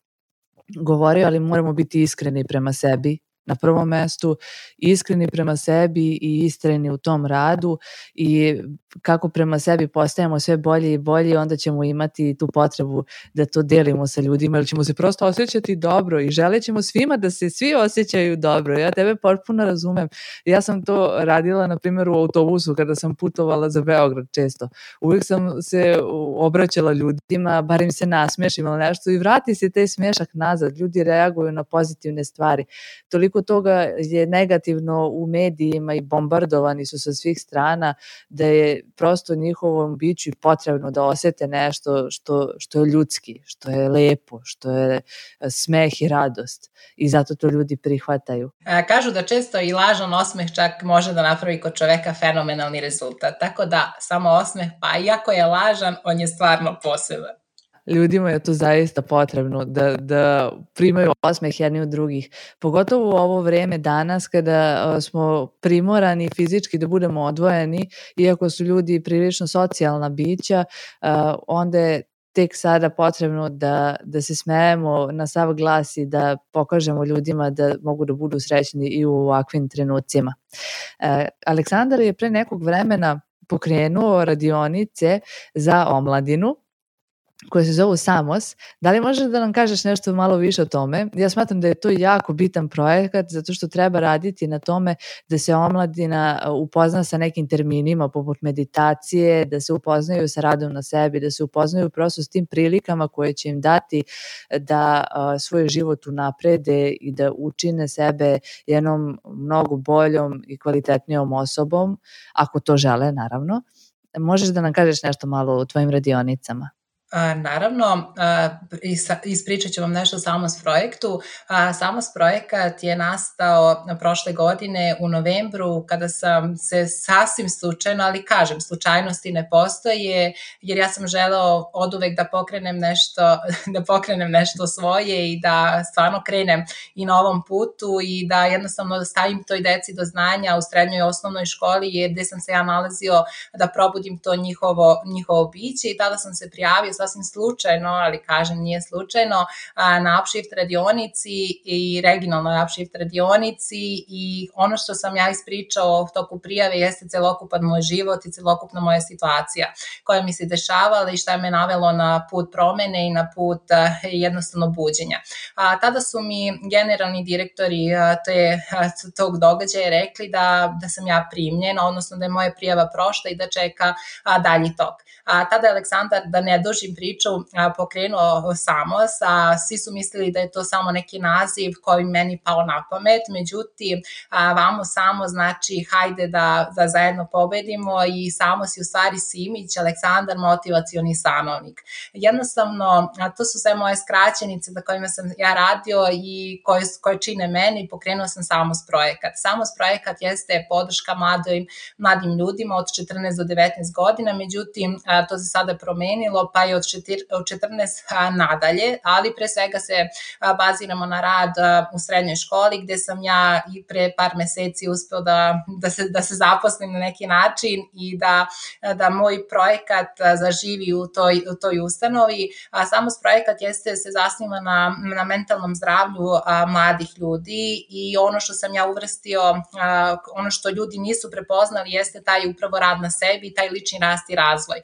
govorio, ali moramo biti iskreni prema sebi. Na prvom mestu iskreni prema sebi i istrajni u tom radu i kako prema sebi postajemo sve bolje i bolje, onda ćemo imati tu potrebu da to delimo sa ljudima, jer ćemo se prosto osjećati dobro i želit ćemo svima da se svi osjećaju dobro. Ja tebe potpuno razumem. Ja sam to radila, na primjer, u autobusu kada sam putovala za Beograd često. Uvijek sam se obraćala ljudima, bar im se nasmešim ili nešto i vrati se taj smešak nazad. Ljudi reaguju na pozitivne stvari. Toliko toga je negativno u medijima i bombardovani su sa svih strana da je prosto njihovom biću potrebno da osjete nešto što je ljudski, što je lepo, što je smeh i radost i zato to ljudi prihvataju. Kažu da često i lažan osmeh čak može da napravi kod čoveka fenomenalni rezultat, tako da samo osmeh, pa iako je lažan, on je stvarno poseban. Ljudima je to zaista potrebno da primaju osmeh jedni od drugih. Pogotovo u ovo vreme danas kada smo primorani fizički da budemo odvojeni, iako su ljudi prilično socijalna bića, onda je tek sada potrebno da se smejemo na sav glas i da pokažemo ljudima da mogu da budu srećni i u ovakvim trenucima. Aleksandar je pre nekog vremena pokrenuo radionice za omladinu koje se zovu Samos. Da li možeš da nam kažeš nešto malo više o tome? Ja smatram da je to jako bitan projekat zato što treba raditi na tome da se omladina upozna sa nekim terminima poput meditacije, da se upoznaju sa radom na sebi, da se upoznaju prosto s tim prilikama koje će im dati da svoj život unaprede i da učine sebe jednom mnogo boljom i kvalitetnijom osobom, ako to žele, naravno. Možeš da nam kažeš nešto malo o tvojim radionicama? Naravno, ispričat ću vam nešto o Samos projektu. Samos projekat je nastao prošle godine u novembru kada sam se sasvim slučajno, ali kažem, slučajnosti ne postoje, jer ja sam želeo oduvek da pokrenem nešto svoje i da stvarno krenem i na ovom putu i da jednostavno stavim toj deci do znanja u srednjoj i osnovnoj školi, jer gde sam se ja nalazio da probudim to njihovo biće i tada sam se prijavio sasvim slučajno, ali kažem nije slučajno, na Upshift radionici i regionalnoj Upshift radionici i ono što sam ja ispričao u toku prijave jeste celokupan moj život i celokupna moja situacija koja mi se dešavala i šta je me navelo na put promene i na put jednostavno buđenja. Tada su mi generalni direktori tog događaja rekli da sam ja primljena, odnosno da je moja prijava prošla i da čeka dalji tok. Tada je Aleksandar, da ne dužim priču, pokrenuo Samos, svi su mislili da je to samo neki naziv koji meni pao na pamet, međutim, vamo Samos znači hajde da zajedno pobedimo i Samos je u stvari Simić, Aleksandar, motivacioni stanovnik. Jednostavno, to su sve moje skraćenice za kojima sam ja radio i koje čine meni i pokrenuo sam Samos projekat. Samos projekat jeste podrška mladim ljudima od 14 do 19 godina, međutim, to se sada promenilo, pa je od 14 nadalje, ali pre svega se baziramo na rad u srednjoj školi, gde sam ja i pre par meseci uspeo da se zaposlim na neki način i da moj projekat zaživi u toj ustanovi. Samos projekat se zasniva na mentalnom zdravlju mladih ljudi i ono što sam ja uvrstio, ono što ljudi nisu prepoznali jeste taj upravo rad na sebi, taj lični rast i razvoj.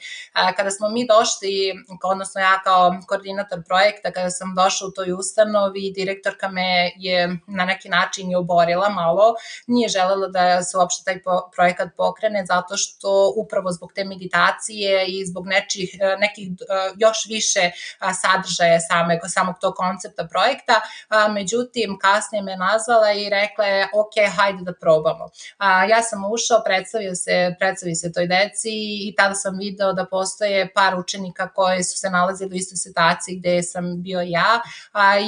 Kada smo mi došli, odnosno ja kao koordinator projekta, kada sam došla u toj ustanovi, direktorka me je na neki način i oborila malo, nije želela da se uopšte taj projekat pokrene, zato što upravo zbog te meditacije i zbog nekih još više sadržaja samog tog koncepta projekta, međutim kasnije me nazvala i rekla je ok, hajde da probamo. Ja sam ušao, predstavio se toj deci i tada sam video da postoje par učenika koji su se nalazili u istoj situaciji gde sam bio ja,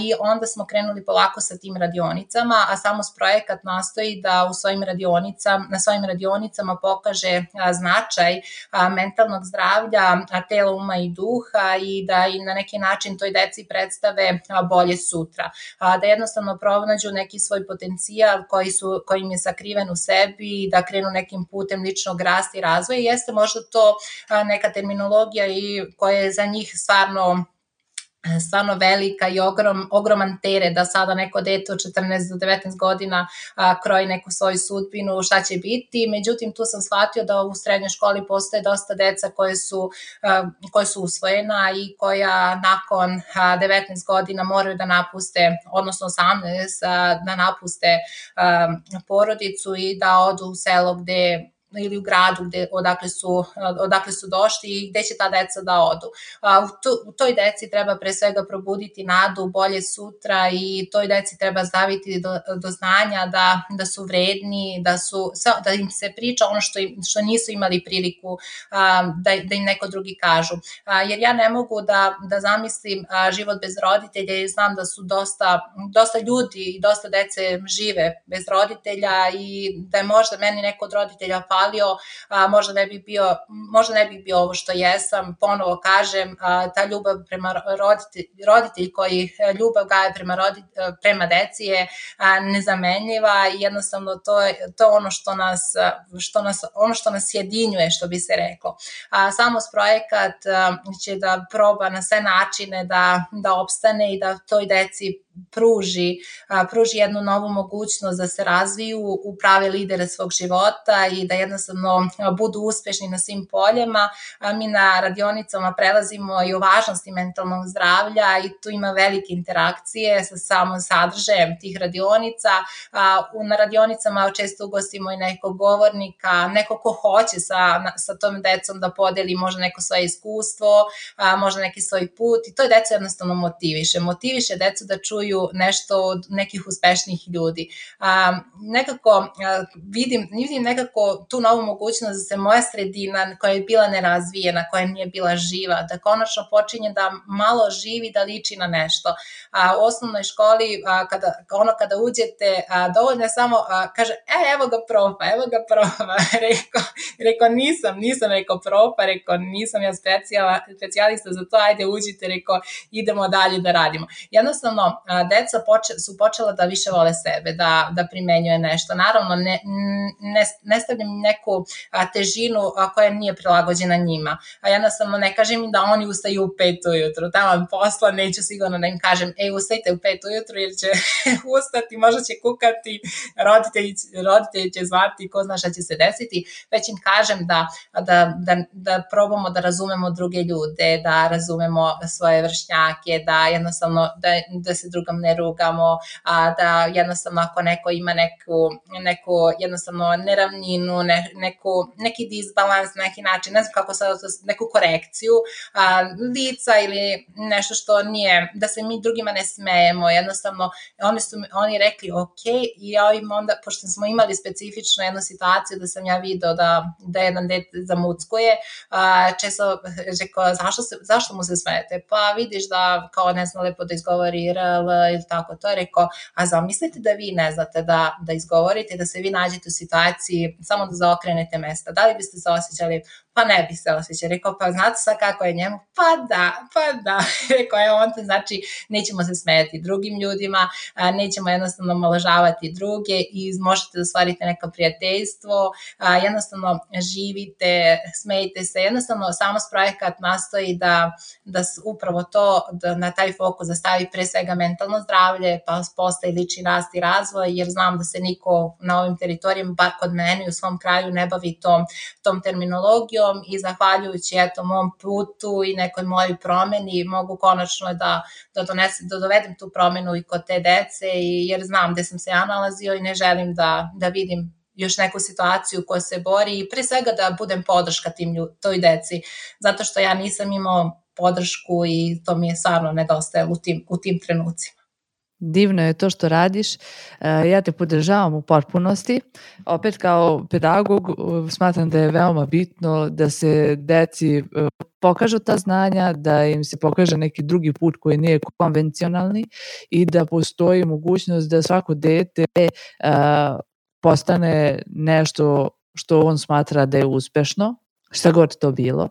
i onda smo krenuli polako sa tim radionicama, a Samos projekat nastoji da na svojim radionicama pokaže značaj mentalnog zdravlja, tela, uma i duha i da i na neki način toj deci predstave bolje sutra. Da jednostavno pronađu neki svoj potencijal koji im je sakriven u sebi i da krenu nekim putem ličnog rasta i razvoja. Jeste možda to neka terminologija i koja je za njih stvarno velika i ogroman teret da sada neko dete od 14 do 19 godina kroji neku svoju sudbinu, šta će biti. Međutim, tu sam shvatio da u srednjoj školi postoje dosta deca koje su usvojena i koja nakon 19 godina moraju da napuste, odnosno 18, da napuste porodicu i da odu u selo ili u gradu odakle su došli i gde će ta deca da odu. U toj deci treba pre svega probuditi nadu, bolje sutra i toj deci treba staviti do znanja da su vredni, da im se priča ono što nisu imali priliku da im neko drugi kažu. Jer ja ne mogu da zamislim život bez roditelja i znam da su dosta ljudi i dosta dece žive bez roditelja i da je možda meni neko od roditelja možda ne bih bio ovo što jesam, ponovo kažem, ta ljubav prema roditelj koji ljubav gaje prema deci je nezamenljiva i jednostavno to je ono što nas jedinjuje, što bi se reklo. Samos projekat će da proba na sve načine da opstane i da toj deci pruži jednu novu mogućnost da se razviju u prave lidere svog života i da jednostavno budu uspešni na svim poljama. Mi na radionicama prelazimo i o važnosti mentalnog zdravlja i tu ima velike interakcije sa samom sadržajem tih radionica. Na radionicama često ugostimo i nekog govornika, neko ko hoće sa tom decom da podeli možda neko svoje iskustvo, možda neki svoj put i to je decu jednostavno motiviše decu da čuju nešto od nekih uspešnijih ljudi. Nekako vidim nekako tu novu mogućnost da se moja sredina koja je bila nerazvijena, koja nije bila živa, da konačno počinje da malo živi, da liči na nešto. U osnovnoj školi kada uđete, dovoljno je samo kaže, evo ga profa, rekao nisam rekao profa, rekao nisam ja specijalista za to, ajde uđite, rekao idemo dalje da radimo. Jednostavno, deca su počela da više vole sebe, da primenjuje nešto. Naravno, ne stavljam neku težinu koja nije prilagođena njima. Jednostavno, ne kažem im da oni ustaju u 5 ujutru. Tamo posla neću sigurno da im kažem, ustajte u 5 ujutru jer će ustati, možda će kukati, roditelji će zvati, ko zna šta će se desiti. Već im kažem da probamo da razumemo druge ljude, da razumemo svoje vršnjake, da jednostavno da se drugom ne rugamo, da jednostavno ako neko ima neku jednostavno neravninu, neki disbalans, neki način, ne znam kako sad, neku korekciju lica ili nešto što nije, da se mi drugima ne smejemo, jednostavno oni rekli ok i ja im onda, pošto smo imali specifično jednu situaciju da sam ja video da jedan dete zamuckuje, često rekao zašto mu se smijete, pa vidiš da kao ne zna lepo da izgovori RL ili tako, to je rekao, a zamislite da vi ne znate da izgovorite, da se vi nađete u situaciji samo da zaokrenete mesta, da li biste se osjećali? Pa ne bi se osjećali. Rekao, pa znate sad kako je njemu? Pa da. Rekao, on te znači nećemo se smijeti drugim ljudima, nećemo jednostavno omalovažavati druge i možete da stvarite neko prijateljstvo, jednostavno živite, smejte se, jednostavno samo projekat nastoji da upravo to, da na taj fokus da stavi pre svega mentalno zdravlje, pa postaje lični rast i razvoj, jer znam da se niko na ovim teritorijama, bar kod mene u svom kraju, ne bavi tom terminologijom i zahvaljujući mom putu i nekoj mojoj promeni mogu konačno da dovedem tu promenu i kod te dece, jer znam gde sam se ja nalazio i ne želim da vidim još neku situaciju koja se bori i pre svega da budem podrška toj deci, zato što ja nisam imao podršku i to mi je stvarno nedostajalo u tim trenucima. Divno je to što radiš, ja te podržavam u potpunosti. Opet kao pedagog smatram da je veoma bitno da se deci pokažu ta znanja, da im se pokaže neki drugi put koji nije konvencionalni i da postoji mogućnost da svako dete postane nešto što on smatra da je uspešno, šta god to bilo.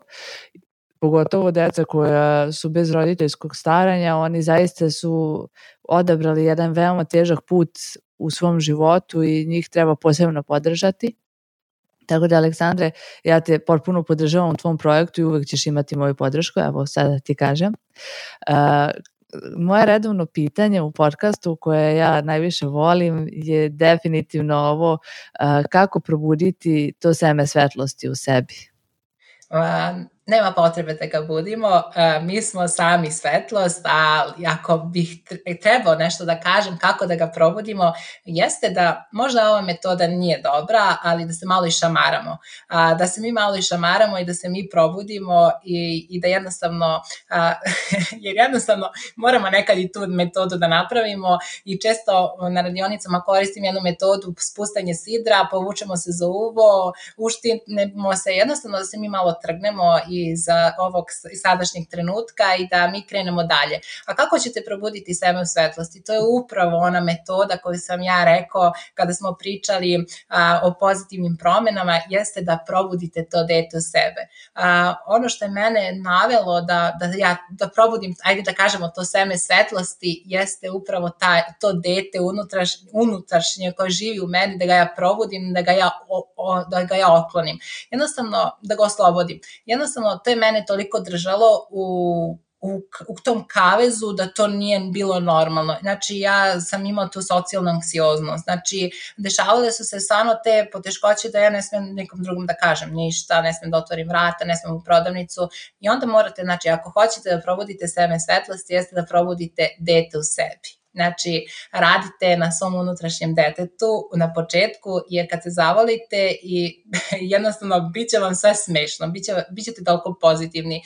Pogotovo deca koja su bez roditeljskog staranja, oni zaista su odabrali jedan veoma težak put u svom životu i njih treba posebno podržati. Tako da, Aleksandre, ja te potpuno podržavam u tvom projektu i uvek ćeš imati moju podršku, evo sada ti kažem. Moje redovno pitanje u podcastu koje ja najviše volim je definitivno ovo, kako probuditi to seme svetlosti u sebi. Nema potrebe da ga budimo, mi smo sami svetlost, a ako bih trebao nešto da kažem kako da ga probudimo, jeste da možda ova metoda nije dobra, ali da se malo išamaramo. Da se mi malo išamaramo i da se mi probudimo i da jednostavno, jer jednostavno moramo nekad i tu metodu da napravimo i često na radionicama koristim jednu metodu spustanje sidra, povučemo se za uvo, uštinemo se, jednostavno da se mi malo trgnemo iz ovog sadašnjeg trenutka i da mi krenemo dalje. A kako ćete probuditi sebe u svetlosti? To je upravo ona metoda koju sam ja rekao kada smo pričali o pozitivnim promenama, jeste da probudite to dete u sebe. Ono što je mene navelo da probudim, ajde da kažemo to seme svetlosti, jeste upravo to dete unutrašnje koje živi u meni, da ga ja probudim, da ga ja otklonim. Jednostavno da ga oslobodim. Jednostavno to je mene toliko držalo u u tom kavezu da to nije bilo normalno. Znači, ja sam imao tu socijalnu anksioznost. Znači, dešavale su se stvarno te poteškoće da ja ne smem nekom drugom da kažem ništa, ne smem da otvorim vrata, ne smem u prodavnicu i onda morate, znači, ako hoćete da probudite seme svetlosti, jeste da probudite dete u sebi. Znači, radite na svom unutrašnjem detetu na početku, jer kad se zavolite i jednostavno bit će vam sve smešno, bit ćete toliko pozitivni,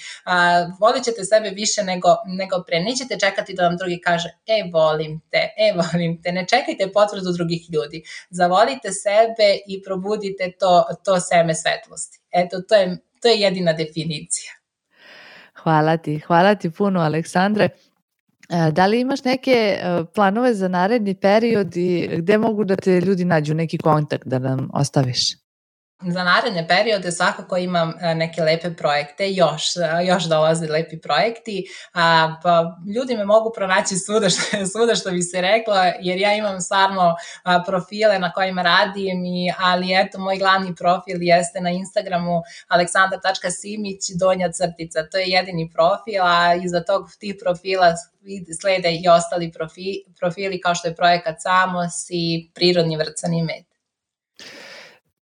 volit ćete sebe više nego pre, nećete čekati da vam drugi kaže volim te, ne čekajte potvrdu drugih ljudi, zavolite sebe i probudite to seme svetlosti. Eto, to je jedina definicija. Hvala ti puno, Aleksandre. Da li imaš neke planove za naredni period i gde mogu da te ljudi nađu, neki kontakt da nam ostaviš? Za naredne periode svakako imam neke lepe projekte, još dolaze lepi projekti, pa ljudi me mogu pronaći svuda što bi se rekla, jer ja imam stvarno profile na kojima radim, ali eto, moj glavni profil jeste na Instagramu aleksandar.simić_, to je jedini profil, a iza tih profila slede i ostali profili kao što je projekat Samos i Prirodni vrcani med.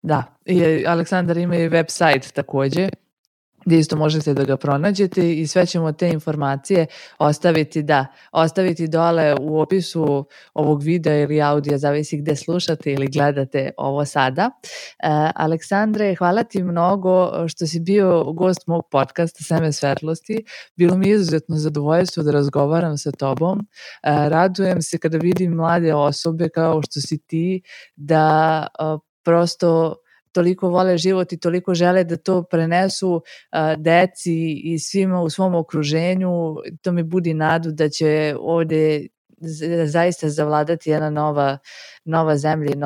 Da, i Aleksandar ima i website takođe, gdje isto možete da ga pronađete i sve ćemo te informacije ostaviti dole u opisu ovog videa ili audija, zavisi gde slušate ili gledate ovo sada. Aleksandre, hvala ti mnogo što si bio gost mog podcasta Seme svetlosti. Bilo mi je izuzetno zadovoljstvo da razgovaram sa tobom. Radujem se kada vidim mlade osobe kao što si ti da prosto toliko vole život i toliko žele da to prenesu deci i svima u svom okruženju. To mi budi nadu da će ovde zaista zavladati jedna nova zemlja i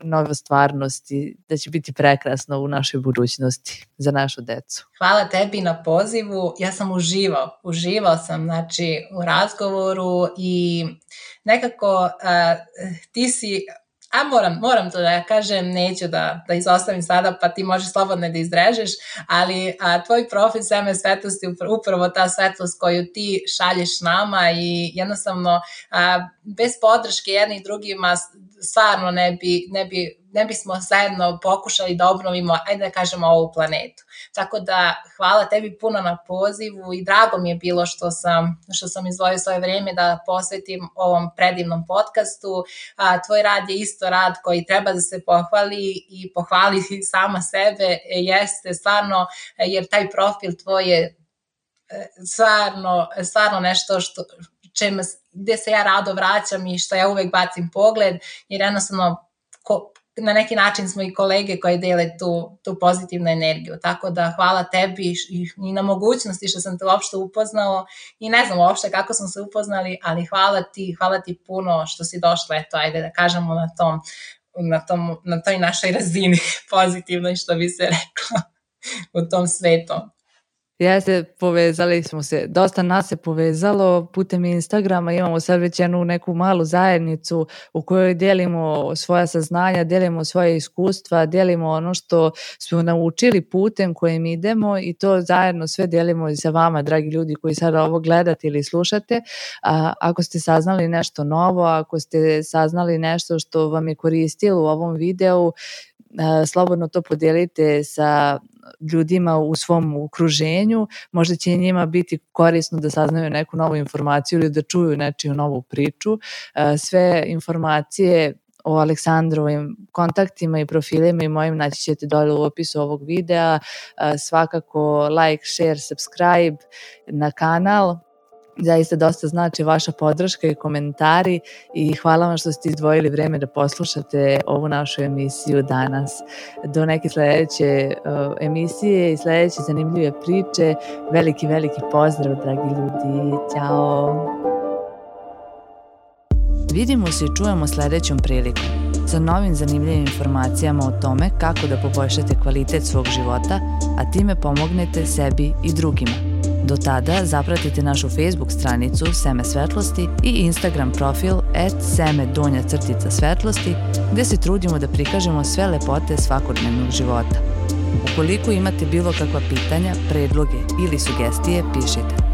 nova stvarnost i da će biti prekrasno u našoj budućnosti za našu decu. Hvala tebi na pozivu. Ja sam uživao sam, znači, u razgovoru i nekako ti si... moram to da ja kažem, neću da izostavim sada, pa ti možeš slobodno da izrežeš, ali tvoj profil Seme svetlosti je upravo ta svetlost koju ti šalješ nama i jednostavno bez podrške jednih drugima stvarno ne bismo zajedno pokušali da obnovimo, ajde da kažemo, ovu planetu. Tako da hvala tebi puno na pozivu i drago mi je bilo što sam izdvojio svoje vrijeme da posvetim ovom predivnom podcastu. Tvoj rad je isto rad koji treba da se pohvali i pohvali sama sebe, jeste stvarno, jer taj profil tvoj je stvarno nešto gde se ja rado vraćam i što ja uvek bacim pogled, jer jednostavno na neki način smo i kolege koji dele tu pozitivnu energiju. Tako da hvala tebi i na mogućnosti što sam te uopšte upoznao i ne znam uopšte kako smo se upoznali, ali hvala ti puno što si došla, eto, ajde da kažemo na toj našoj razini pozitivnoj, što bi se reklo, u tom svetu. Povezali smo se, dosta nas se povezalo putem Instagrama, imamo sad već jednu neku malu zajednicu u kojoj delimo svoja saznanja, delimo svoje iskustva, delimo ono što smo naučili putem kojim idemo i to zajedno sve delimo i sa vama, dragi ljudi koji sada ovo gledate ili slušate. Ako ste saznali nešto novo, ako ste saznali nešto što vam je koristilo u ovom videu, slobodno to podelite sa ljudima u svom okruženju, možda će njima biti korisno da saznaju neku novu informaciju ili da čuju nečiju novu priču. Sve informacije o Aleksandrovim kontaktima i profilima i mojim naći ćete dole u opisu ovog videa. Svakako like, share, subscribe na kanal. Zaista dosta znači vaša podrška i komentari i hvala vam što ste izdvojili vreme da poslušate ovu našu emisiju danas. Do neke sledeće emisije i sledeće zanimljive priče. Veliki pozdrav, dragi ljudi. Ćao! Vidimo se i čujemo sledećom prilikom sa novim zanimljivim informacijama o tome kako da poboljšate kvalitet svog života, a time pomognete sebi i drugima. Do tada zapratite našu Facebook stranicu Seme svetlosti i Instagram profil @seme_svetlosti gde se trudimo da prikažemo sve lepote svakodnevnog života. Ukoliko imate bilo kakva pitanja, predloge ili sugestije, pišite.